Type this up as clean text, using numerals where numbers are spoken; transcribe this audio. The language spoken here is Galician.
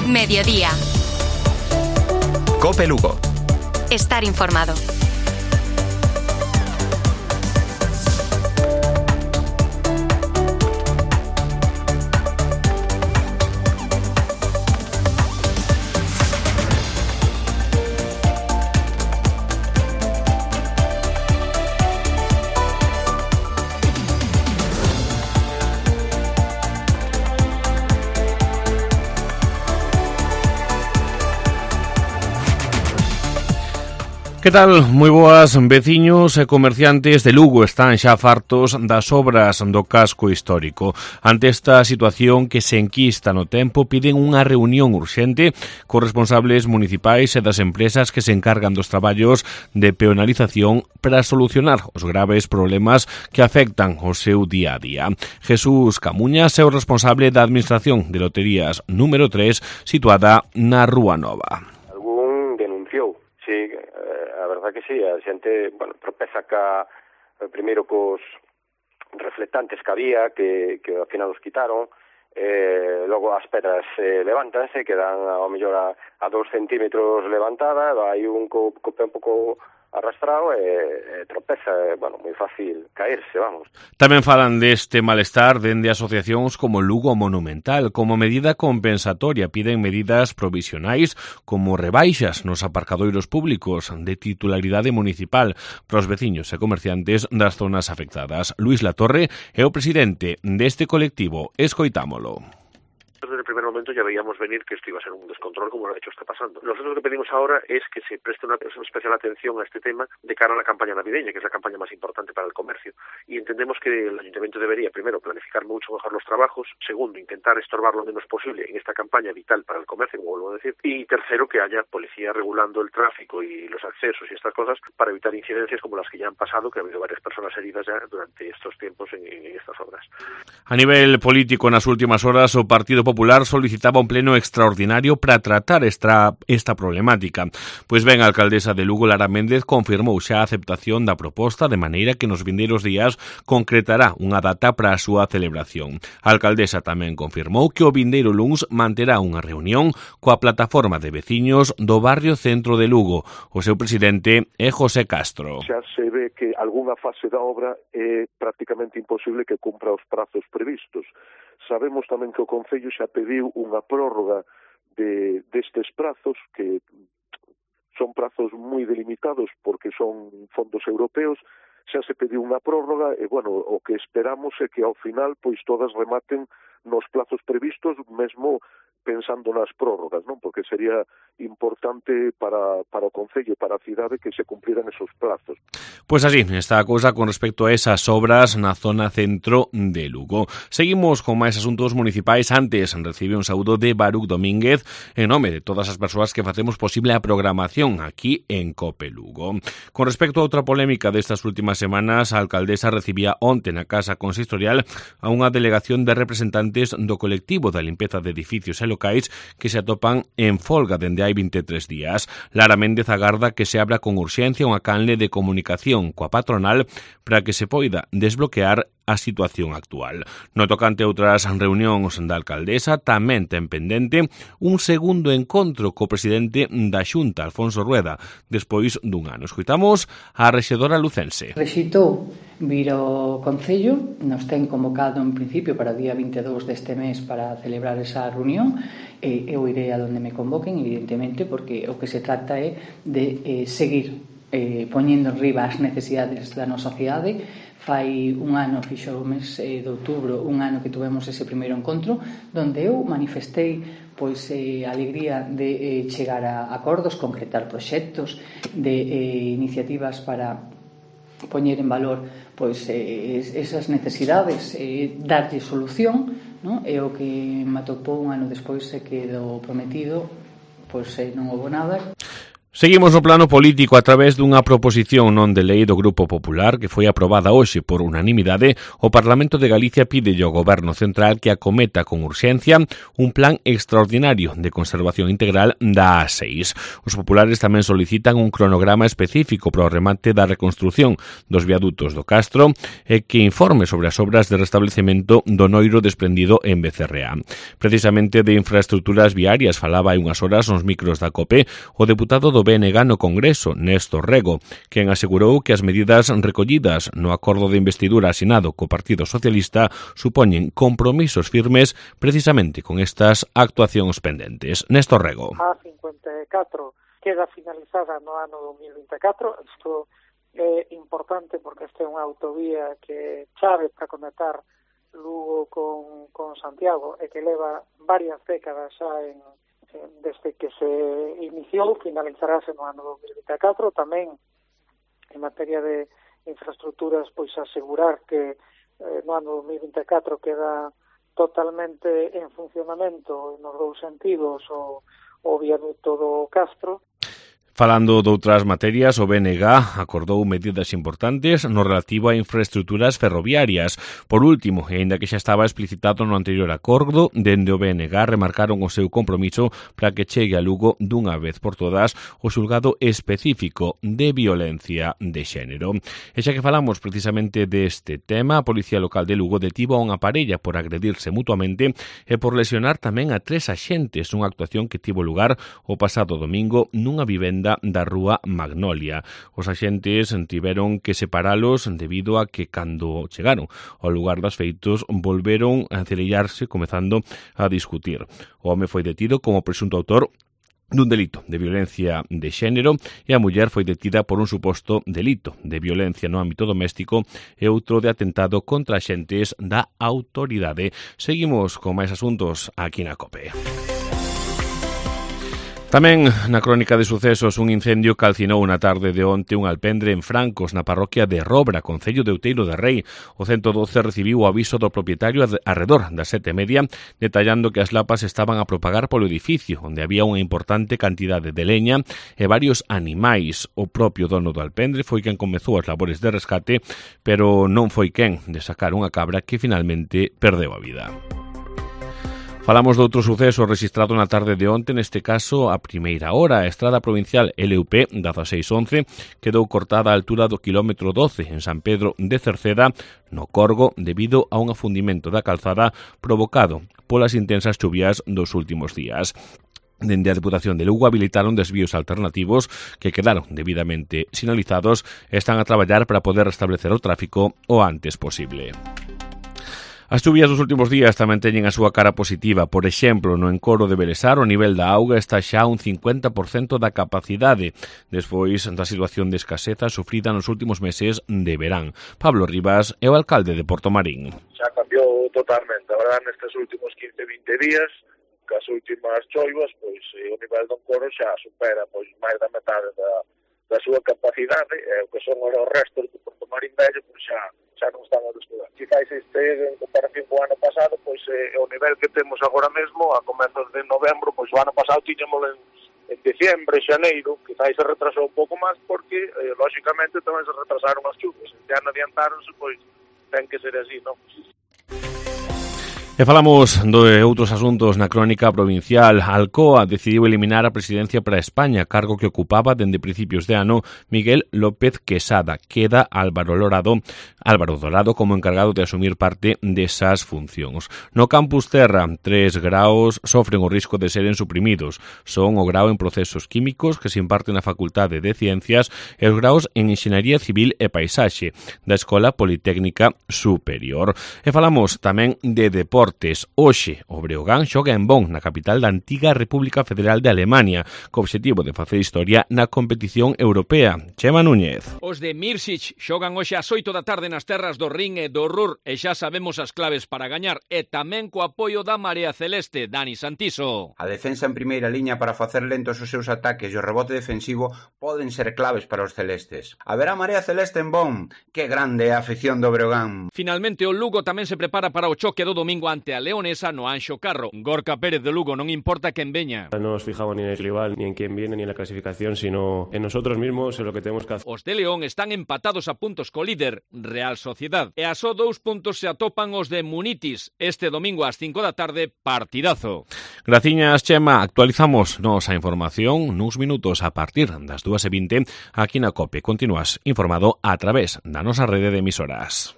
Mediodía. COPE Lugo. Estar informado. Que tal? Moi boas, veciños e comerciantes de Lugo están xa fartos das obras do casco histórico. Ante esta situación que se enquista no tempo, piden unha reunión urxente cos responsables municipais e das empresas que se encargan dos traballos de peonalización para solucionar os graves problemas que afectan o seu día a día. Jesús Camuñas é o responsable da Administración de Loterías número 3, situada na Rúa Nova. Algún denunciou. Sí, a verdad que sí, a xente, tropeza primeiro cos reflectantes que había, que ao final os quitaron, logo as pedras levántanse, quedan ao mellor a 2 centímetros levantada, hai un co pé un pouco arrastrado e tropeza, moi fácil caerse, vamos. Tamén falan deste malestar dende asociacións como Lugo Monumental. Como medida compensatoria piden medidas provisionais como rebaixas nos aparcadoiros públicos de titularidade municipal para os veciños e comerciantes das zonas afectadas. Luís Latorre é o presidente deste colectivo. Escoitámolo. Desde el primer momento ya veíamos venir que esto iba a ser un descontrol como lo ha hecho está pasando. Nosotros lo que pedimos ahora es que se preste una especial atención a este tema de cara a la campaña navideña, que es la campaña más importante para el comercio. Y entendemos que el Ayuntamiento debería, primero, planificar mucho mejor los trabajos, segundo, intentar estorbar lo menos posible en esta campaña vital para el comercio, como vuelvo a decir, y tercero, que haya policía regulando el tráfico y los accesos y estas cosas para evitar incidencias como las que ya han pasado, que ha habido varias personas heridas ya durante estos tiempos en estas obras. A nivel político, nas últimas horas, o Partido Popular solicitaba un pleno extraordinario para tratar esta problemática. Pois ben, a alcaldesa de Lugo, Lara Méndez, confirmou xa a aceptación da proposta, de maneira que nos vindeiros días concretará unha data para a súa celebración. A alcaldesa tamén confirmou que o vindeiro luns manterá unha reunión coa plataforma de veciños do barrio centro de Lugo. O seu presidente é José Castro. Xa se ve que algunha fase da obra é prácticamente imposible que cumpra os prazos previstos. Sabemos tamén que o Concello xa pediu unha prórroga destes prazos, que son prazos moi delimitados porque son fondos europeos. Xa se pediu unha prórroga e, o que esperamos é que ao final pois todas rematen nos plazos previstos, mesmo pensando nas prórrogas, non? Porque sería importante para o Concello e para a cidade que se cumpriran esos plazos. Pois así está a cousa con respecto a esas obras na zona centro de Lugo. Seguimos con máis asuntos municipais. Antes recibe un saúdo de Baruc Domínguez en nome de todas as persoas que facemos posible a programación aquí en COPE Lugo. Con respecto a outra polémica destas últimas semanas, a alcaldesa recibía onte na Casa Consistorial a unha delegación de representantes do colectivo da limpeza de edificios e locais que se atopan en folga dende hai 23 días. Lara Méndez agarda que se abra con urxencia unha canle de comunicación coa patronal para que se poida desbloquear a situación actual. No tocante a outras reunións da alcaldesa, tamén ten pendente un segundo encontro co presidente da Xunta, Alfonso Rueda, despois dun ano. Escoitamos a rexedora lucense. Rexitou vir ao Concello, nos ten convocado en principio para o día 22 deste mes para celebrar esa reunión, e eu irei a donde me convoquen, evidentemente, porque o que se trata é de seguir poñendo enriba as necesidades da nosa cidade. Fai un ano, fixo o mes de outubro, un ano que tuvemos ese primeiro encontro, donde eu manifestei a alegría de chegar a acordos, concretar proxectos, de iniciativas para poñer en valor esas necesidades, darlle solución, non? E o que me atopou un ano despois se quedou prometido, non houve nada. Seguimos no plano político a través dunha proposición non de lei do Grupo Popular que foi aprobada hoxe por unanimidade. O Parlamento de Galicia pide ao Goberno Central que acometa con urxencia un plan extraordinario de conservación integral da A6. Os populares tamén solicitan un cronograma específico para o remate da reconstrución dos viadutos do Castro e que informe sobre as obras de restablecemento do noiro desprendido en Becerrea. Precisamente de infraestructuras viarias falaba hai unhas horas nos micros da COPE o deputado do BNG no Congreso, Néstor Rego, quen asegurou que as medidas recollidas no acordo de investidura asinado co Partido Socialista supoñen compromisos firmes precisamente con estas actuacións pendentes. Néstor Rego. A 54 queda finalizada no ano 2024. Isto é importante porque esta é unha autovía que chave para conectar Lugo con Santiago e que leva varias décadas xa desde que se iniciou, finalizarase no ano 2024. Tamén en materia de infraestructuras, pois asegurar que no ano 2024 queda totalmente en funcionamento nos dous sentidos o viaduto do Castro. Falando doutras materias, o BNG acordou medidas importantes no relativo a infraestructuras ferroviarias. Por último, e aínda que xa estaba explicitado no anterior acordo, dende o BNG remarcaron o seu compromiso para que chegue a Lugo dunha vez por todas o xulgado específico de violencia de xénero. E xa que falamos precisamente deste tema, a Policía Local de Lugo detivo a unha parella por agredirse mutuamente e por lesionar tamén a 3 axentes nunha actuación que tivo lugar o pasado domingo nunha vivenda da rúa Magnolia. Os axentes tiveron que separalos debido a que cando chegaron ao lugar dos feitos volveron a encerellarse comezando a discutir. O home foi detido como presunto autor dun delito de violencia de xénero e a muller foi detida por un suposto delito de violencia no ámbito doméstico e outro de atentado contra axentes da autoridade. Seguimos con máis asuntos aquí na COPE. Tamén na crónica de sucesos, un incendio calcinou na tarde de onte un alpendre en Francos, na parroquia de Robra, concello de Outeiro de Rei. O 112 recibiu o aviso do propietario arredor das 7:30, detallando que as lapas estaban a propagar polo edificio, onde había unha importante cantidade de leña e varios animais. O propio dono do alpendre foi quen comezou as labores de rescate, pero non foi quen de sacar unha cabra que finalmente perdeu a vida. Falamos de outro suceso registrado na tarde de onte, neste caso a primeira hora. A estrada provincial LUP 1611 quedou cortada á altura do quilómetro 12 en San Pedro de Cerceda, no Corgo, debido a un afundimento da calzada provocado polas intensas chuvias dos últimos días. Dende a Deputación de Lugo habilitaron desvíos alternativos que quedaron debidamente sinalizados e están a traballar para poder restablecer o tráfico o antes posible. As chuvias dos últimos días tamén teñen a súa cara positiva. Por exemplo, no encoro de Belesar o nivel da auga está xa un 50% da capacidade, despois da situación de escaseza sufrida nos últimos meses de verán. Pablo Rivas é o alcalde de Portomarín. Xa cambiou totalmente, a verdade, nestes últimos 15-20 días, cas últimas choivas, pois o nivel do encoro xa supera pois máis da metade da súa capacidade, e o que son os restos do Portomarín vello, pois xa non están a descuidar. Quizás este, en comparación co ano pasado, pois o nivel que temos agora mesmo, a comezos de novembro, pois o ano pasado tiñamos en diciembre, xaneiro, quizás se retrasou un pouco máis, porque, lóxicamente, tamén se retrasaron as chuvas. Este ano adiantáronse, pois ten que ser así, non? E falamos de outros asuntos na crónica provincial. Alcoa decidiu eliminar a presidencia para España, cargo que ocupaba dende principios de ano Miguel López Quesada. Queda Álvaro Dorado como encargado de asumir parte desas funcións. No campus Terra, 3 graos sofren o risco de seren suprimidos. Son o grao en procesos químicos que se imparte na Facultade de Ciencias e os graos en Enxeñaría Civil e Paisaxe da Escola Politécnica Superior. E falamos tamén de deporte. Hoxe, o Breogán xoga en Bonn, na capital da antiga República Federal de Alemania, co obxectivo de facer historia na competición europea. Chema Núñez. Os de Mirsic xogan hoxe ás 8 da tarde nas terras do Rin e do Ruhr e xa sabemos as claves para gañar, e tamén co apoio da Marea Celeste, Dani Santiso. A defensa en primeira liña para facer lentos os seus ataques e o rebote defensivo poden ser claves para os celestes. Haberá Marea Celeste en Bonn. Que grande é a afición do Breogán. Finalmente o Lugo tamén se prepara para o choque do domingo ante a Leonesa no Anxo Carro. Gorka Pérez de Lugo, non importa quen veña. No nos fijamos ni en el rival, ni en quién viene, ni en la clasificación, sino en nosotros mismos, en lo que tenemos que hacer. Os de León están empatados a puntos co líder, Real Sociedad. E a só 2 puntos se atopan os de Munitis. Este domingo ás 5 da tarde, partidazo. Graciñas, Chema. Actualizamos nosa información nuns minutos a partir das 2:20 aquí na COPE. Continúas informado a través da nosa rede de emisoras.